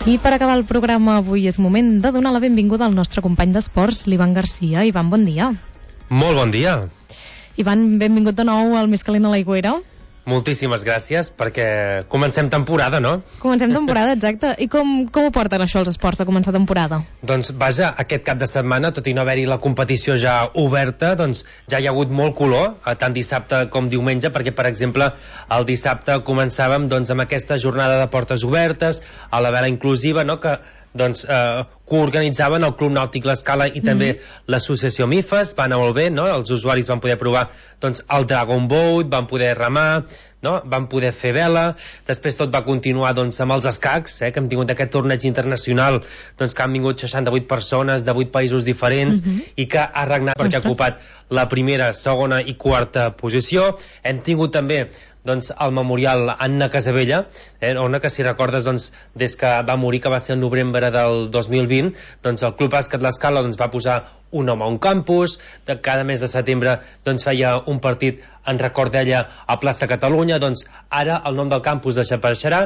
I per acabar el programa avui és moment de donar la benvinguda al nostre company d'esports, l'Ivan Garcia. Ivan, bon dia. Molt bon dia. Ivan, benvingut de nou al Més calent a l'Aigüera. Moltíssimes gràcies, perquè comencem temporada, no? Comencem temporada, exacte. I com ho porten això els esports de començar temporada? Doncs vaja, aquest cap de setmana, tot i no haver-hi la competició ja oberta, doncs ja hi ha hagut molt color, tant dissabte com diumenge, perquè, per exemple, el dissabte començàvem doncs, amb aquesta jornada de portes obertes, a la vela inclusiva, no?, que doncs coorganitzaven el Club Nàutic L'Escala i també l'associació MIFES. Va anar molt bé, no? Els usuaris van poder provar doncs, el Dragon Boat, van poder remar, no? Van poder fer vela. Després tot va continuar doncs, amb els escacs, que hem tingut aquest torneig internacional, doncs, que han vingut 68 persones de 8 països diferents i que ha regnat perquè ha ocupat la primera, segona i quarta posició. Hem tingut també doncs, el memorial Anna Casabella, on que si recordes doncs, des que va morir, que va ser el novembre del 2020, doncs el Club Bàsquet L'Escala doncs, va posar un home a un campus, de cada mes de setembre doncs, feia un partit en record d'ella a Plaça Catalunya. Doncs ara el nom del campus desapareixerà.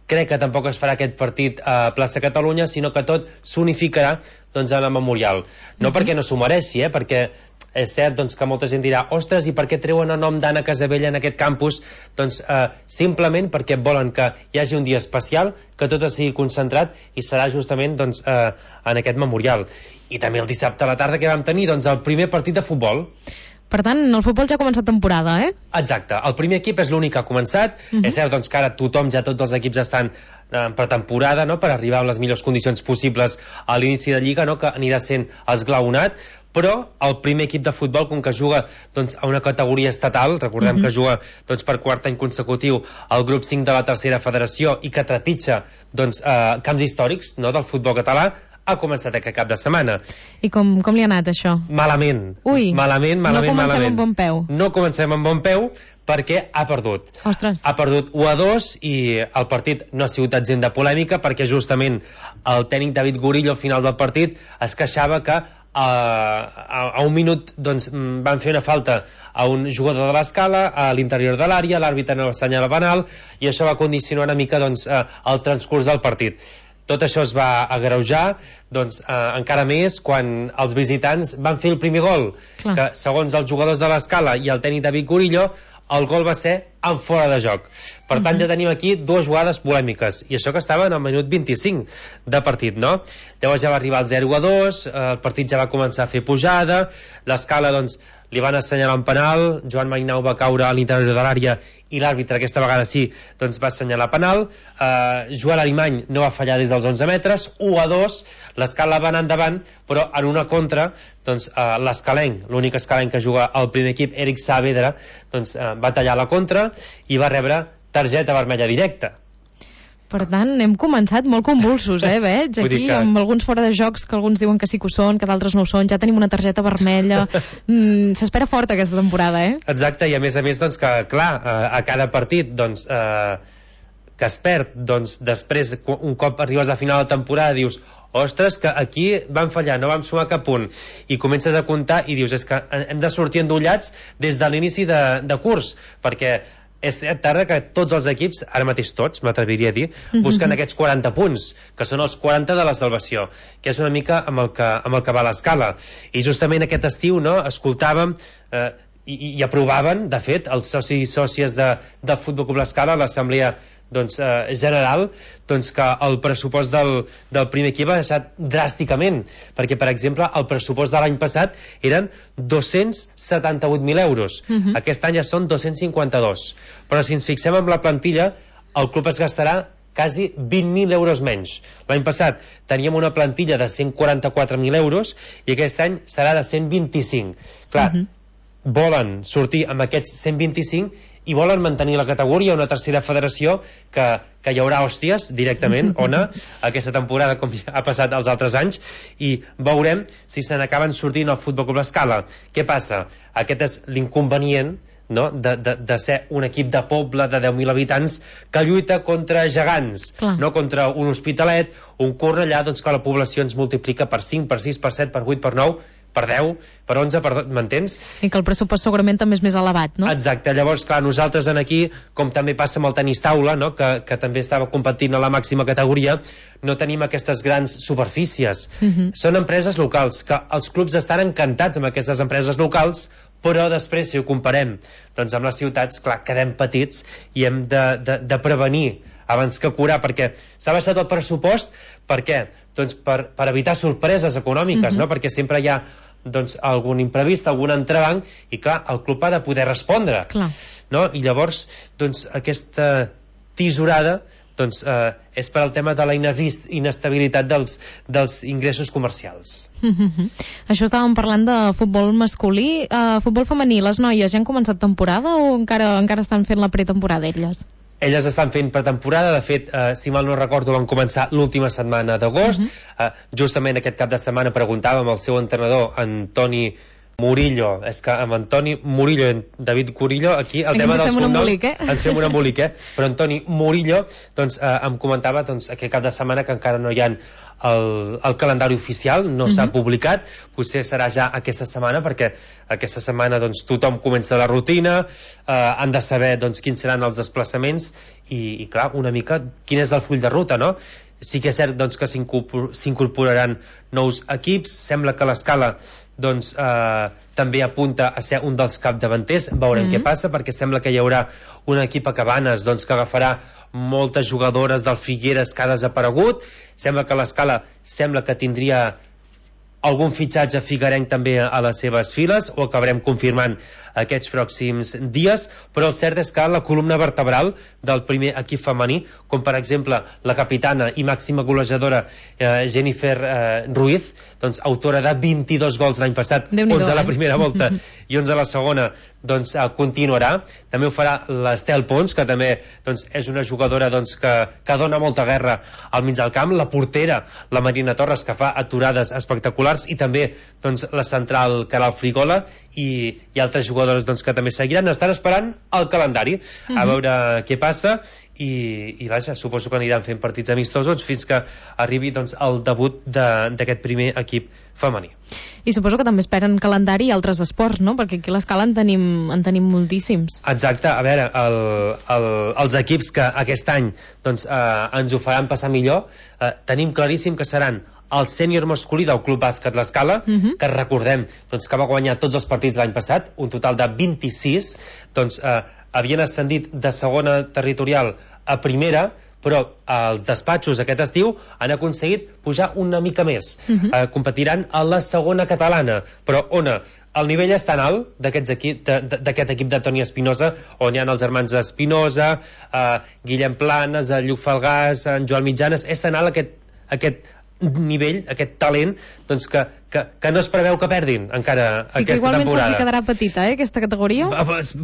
Crec que tampoc es farà aquest partit a Plaça Catalunya, sinó que tot s'unificarà doncs, en el memorial. No perquè no s'ho mereixi, perquè és cert doncs, que molta gent dirà ostres, i per què treuen el nom d'Anna Casabella en aquest campus? Doncs simplement perquè volen que hi hagi un dia especial, que tot sigui concentrat i serà justament doncs, en aquest memorial. I també el dissabte a la tarda que vam tenir doncs, el primer partit de futbol. Per tant, el futbol ja ha començat temporada, Exacte, el primer equip és l'únic que ha començat. És cert doncs, que ara tots els equips estan en pretemporada, no?, per arribar a les millors condicions possibles a l'inici de Lliga, no?, que anirà sent esglaonat. Però el primer equip de futbol, com que juga doncs, a una categoria estatal, recordem que juga doncs, per quart any consecutiu al grup 5 de la tercera federació i que trepitja doncs, camps històrics, no?, del futbol català, ha començat aquest cap de setmana. I com li ha anat això? Malament. Ui, malament. No comencem amb bon peu. No comencem amb bon peu perquè ha perdut. Ostres. Ha perdut 1-2 i el partit no ha sigut exempt de polèmica perquè justament el tècnic David Gurillo al final del partit es queixava que a un minut doncs, van fer una falta a un jugador de l'Escala a l'interior de l'àrea, l'àrbitre no assenyala penal i això va condicionar una mica doncs, el transcurs del partit. Tot això es va agreujar doncs, encara més quan els visitants van fer el primer gol. Clar. Que segons els jugadors de l'Escala i el tècnic David Gurillo, el gol va ser en fora de joc. Per tant, ja tenim aquí dues jugades polèmiques, i això que estava en el minut 25 de partit, no? Llavors ja va arribar el 0-2, el partit ja va començar a fer pujada, l'Escala, doncs, li van assenyalar un penal, Joan Mainau va caure a l'interior de l'àrea i l'àrbitre aquesta vegada sí doncs va assenyalar penal. Joel Arimany no va fallar des dels 11 metres, 1-2, l'Escala va anar endavant, però en una contra doncs, l'escalenc, l'únic escalenc que juga al primer equip, Eric Saavedra, doncs, va tallar la contra i va rebre targeta vermella directa. Per tant, hem començat molt convulsos, veig, aquí, amb alguns fora de jocs que alguns diuen que sí que ho són, que d'altres no ho són, ja tenim una targeta vermella. S'espera fort aquesta temporada, Exacte, i a més, doncs, que, clar, a cada partit, doncs, que es perd, doncs, després, un cop arribes a final de temporada, dius, ostres, que aquí van fallar, no vam sumar cap punt, i comences a comptar i dius, és que hem de sortir endollats des de l'inici de curs, perquè és cert ara que tots els equips, ara mateix tots, m'atreviria a dir, busquen aquests 40 punts, que són els 40 de la salvació, que és una mica amb el que va l'Escala. I justament aquest estiu, no, escoltàvem i aprovaven, de fet, els socis i sòcies del Futbol Club L'Escala a l'assemblea doncs, general, doncs, que el pressupost del primer equip ha deixat dràsticament, perquè per exemple el pressupost de l'any passat eren 278.000 euros, aquest any ja són 252, però si ens fixem en la plantilla, el club es gastarà quasi 20.000 euros menys. L'any passat teníem una plantilla de 144.000 euros i aquest any serà de 125. Clar, volen sortir amb aquests 125 i volen mantenir la categoria, una tercera federació que hi haurà hòsties directament, Ona, aquesta temporada com ha passat els altres anys, i veurem si se n'acaben sortint al Futbol Club L'Escala. Què passa? Aquest és l'inconvenient, no? de ser un equip de poble de 10.000 habitants que lluita contra gegants, no contra un Hospitalet, un Cornellà, doncs que la població ens multiplica per 5, per 6, per 7, per 8, per 9, per 10, per 11, m'entens? I que el pressupost segurament també és més elevat, no? Exacte, llavors, clar, nosaltres aquí, com també passa amb el tenis taula, no? que també estava competint a la màxima categoria, no tenim aquestes grans superfícies. Són empreses locals, que els clubs estan encantats amb aquestes empreses locals, però després, si ho comparem doncs amb les ciutats, clar, quedem petits i hem de prevenir abans que curar, perquè s'ha baixat el pressupost. Per què? Doncs per evitar sorpreses econòmiques, no? Perquè sempre hi ha doncs, algun imprevist, algun entrebanc, i clar, el club ha de poder respondre, no? I llavors doncs, aquesta tisorada doncs, és per al tema de la inestabilitat dels ingressos comercials. Això estàvem parlant de futbol masculí. Futbol femení, les noies ja han començat temporada o encara estan fent la pretemporada elles? Elles estan fent pretemporada, de fet, si mal no recordo, van començar l'última setmana d'agost. Justament aquest cap de setmana preguntàvem al seu entrenador, Antoni Murillo, és que amb Antoni Murillo i David Curillo, aquí el tema dels cognoms ens fem un embolic, però Antoni Murillo doncs, em comentava doncs, aquest cap de setmana que encara no hi ha el calendari oficial, no s'ha publicat, potser serà ja aquesta setmana, perquè aquesta setmana doncs, tothom comença la rutina, han de saber doncs, quins seran els desplaçaments i clar, una mica quin és el full de ruta, no? Sí que és cert doncs, que s'incorporaran nous equips, sembla que l'Escala doncs, també apunta a ser un dels capdavanters, veurem què passa, perquè sembla que hi haurà un equip a Cabanes doncs, que agafarà moltes jugadores del Figueres que ha desaparegut. Sembla que l'Escala que tindria algun fitxatge figuerenc també a les seves files, ho acabarem confirmant aquests pròxims dies, però el cert és que la columna vertebral del primer equip femení, com per exemple la capitana i màxima golejadora Jennifer Ruiz, doncs autora de 22 gols l'any passat, 11 a la primera volta i 11 a la segona, doncs continuarà. També ho farà l'Estel Pons, que també doncs, és una jugadora doncs, que dona molta guerra al mig del camp, la portera, la Marina Torres, que fa aturades espectaculars, i també doncs, la central Caral Frigola i altres jugadores doncs, que també seguiran. Estan esperant el calendari a veure què passa i vaja, suposo que aniran fent partits amistosos fins que arribi doncs, el debut d'aquest primer equip femení. I suposo que també esperen calendari i altres esports, no? Perquè aquí a l'Escala en tenim moltíssims. Exacte, a veure, els equips que aquest any doncs, ens ho faran passar millor, tenim claríssim que seran el sènior masculí del Club Bàsquet l'Escala, que recordem doncs, que va guanyar tots els partits l'any passat, un total de 26, doncs havien ascendit de segona territorial a primera, però els despatxos aquest estiu han aconseguit pujar una mica més. Competiran a la segona catalana, però el nivell és tan alt d'aquest equip de Toni Espinosa, on hi ha els germans Espinosa, Guillem Planes, Lluc Falgàs, en Joan Mitjanes, és tan alt aquest nivell, aquest talent, doncs que no es preveu que perdin encara aquesta temporada. Sí, que igualment se'ls quedarà petita, aquesta categoria?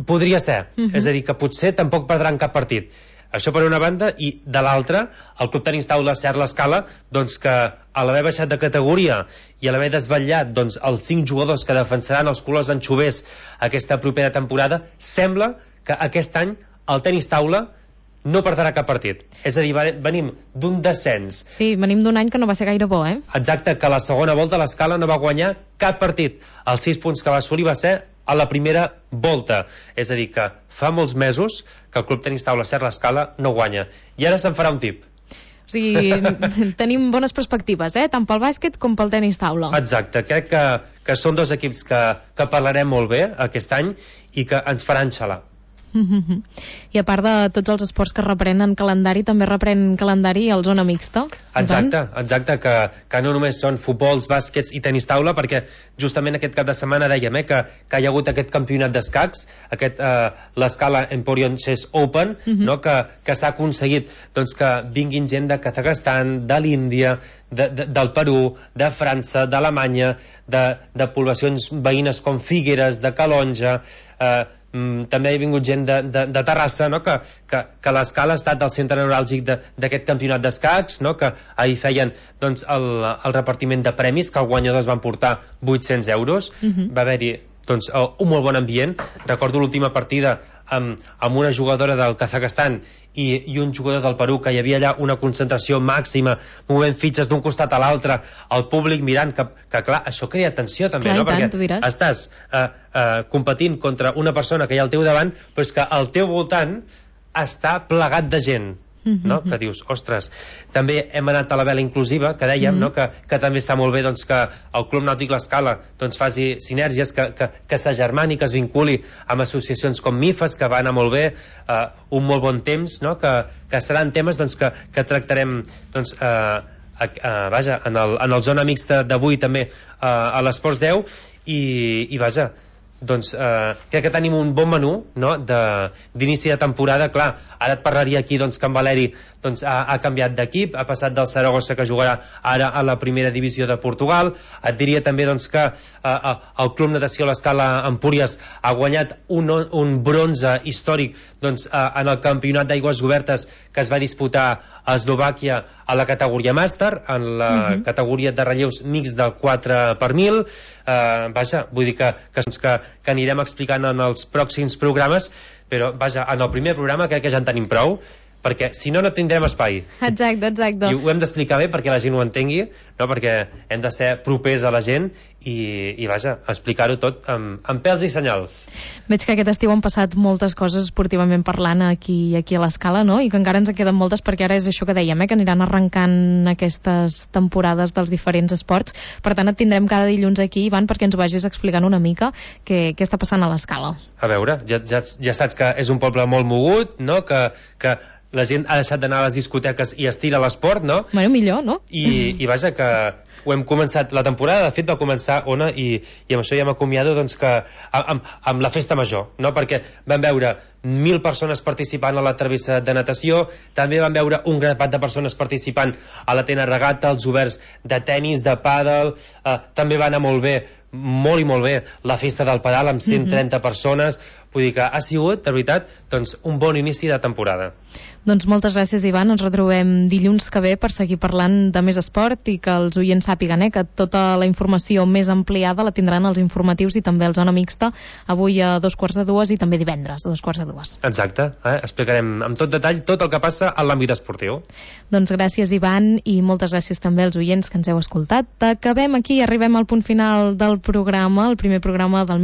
Podria ser, és a dir, que potser tampoc perdran cap partit. Això per una banda, i de l'altra, el Club Tenis Taula Ser l'Escala, doncs que a l'haver baixat de categoria i a l'haver desvetllat doncs, els 5 jugadors que defensaran els colors anxovers aquesta propera temporada, sembla que aquest any el Tenis Taula no perdrà cap partit. És a dir, venim d'un descens. Sí, venim d'un any que no va ser gaire bo, Exacte, que a la segona volta l'Escala no va guanyar cap partit. Els 6 punts que va assolir va ser a la primera volta. És a dir, que fa molts mesos que el Club Tenis Taula Ser l'Escala no guanya. I ara se'n farà un tip. O sigui, tenim bones perspectives, tant pel bàsquet com pel tenis taula. Exacte, crec que són dos equips que parlarem molt bé aquest any i que ens faran xalar. I a part de tots els esports que reprenen calendari, també reprèn calendari el zona mixta. Exacte, que no només són futbols, bàsquets i tenis taula, perquè justament aquest cap de setmana dèiem que hi ha hagut aquest campionat d'escacs, l'Escala Emporion Chess Open, no? que s'ha aconseguit doncs, que vinguin gent de Kazakhstan, de l'Índia, del Perú, de França, d'Alemanya, de poblacions veïnes com Figueres, de Calonja, també ha vingut gent de Terrassa, no? que l'Escala ha estat el centre neuràlgic d'aquest campionat d'escacs, no? que ahir feien doncs, el repartiment de premis, que els guanyadors van portar 800 euros. Va haver-hi doncs, un molt bon ambient. Recordo l'última partida amb una jugadora del Kazakhstan i un jugador del Perú, que hi havia allà una concentració màxima, movent fitxes d'un costat a l'altre, el públic mirant, que clar, això crea tensió també, clar, no? Tant, perquè estàs competint contra una persona que hi ha al teu davant, però és que al teu voltant està plegat de gent, no? Que dius, ostres, també hem anat a la vela inclusiva, que dèiem, no? que també està molt bé doncs, que el Club Nàutic L'Escala doncs, faci sinergies, que s'agermani, que es vinculi amb associacions com MIFAS, que va anar molt bé, un molt bon temps, no? que seran temes doncs, que tractarem doncs, vaja, en el Zona Mixta d'avui també a l'Esports 10 i vaja, doncs crec que tenim un bon menú, no? D'inici de temporada. Clar, ara et parlaria aquí doncs, que en Valeri doncs, ha canviat d'equip, ha passat del Saragossa, que jugarà ara a la primera divisió de Portugal. Et diria també doncs, que el Club Natació L'Escala Empúries ha guanyat un bronze històric doncs, en el campionat d'aigües obertes que es va disputar a Eslovàquia a la categoria màster, en la categoria de relleus mix del 4x1000. Vaja, vull dir que anirem explicant en els pròxims programes, però vaja, en el primer programa crec que ja en tenim prou, perquè si no, no tindrem espai. Exacte. I ho hem d'explicar bé perquè la gent ho entengui, no? Perquè hem de ser propers a la gent i vaja, explicar-ho tot amb pèls i senyals. Veig que aquest estiu han passat moltes coses esportivament parlant aquí a l'Escala, no? I que encara ens en queden moltes, perquè ara és això que dèiem, que aniran arrencant aquestes temporades dels diferents esports. Per tant, et tindrem cada dilluns aquí, Ivan, perquè ens ho vagis explicant una mica què està passant a l'Escala. A veure, ja saps que és un poble molt mogut, no? Que la gent ha deixat d'anar a les discoteques i es tira a l'esport, no? Bueno, millor, no? I vaja, que ho hem començat, la temporada de fet va començar, Ona, i amb això ja m'acomiado doncs, que amb la festa major, no? Perquè vam veure 1.000 persones participant a la travessa de natació, també vam veure un grapat de persones participant a la tena regata, els oberts de tennis, de pàdel, també va anar molt bé, molt i molt bé, la festa del pedal amb 130 persones. Vull dir que ha sigut, de veritat, doncs, un bon inici de temporada. Doncs moltes gràcies, Ivan. Ens retrobem dilluns que ve per seguir parlant de més esport i que els oients sàpiguen que tota la informació més ampliada la tindran als informatius i també al Zona Mixta, avui a 2:45 i també divendres a 2:45. Exacte. Explicarem amb tot detall tot el que passa a l'àmbit esportiu. Doncs gràcies, Ivan, i moltes gràcies també als oients que ens heu escoltat. Acabem aquí, arribem al punt final del programa, el primer programa del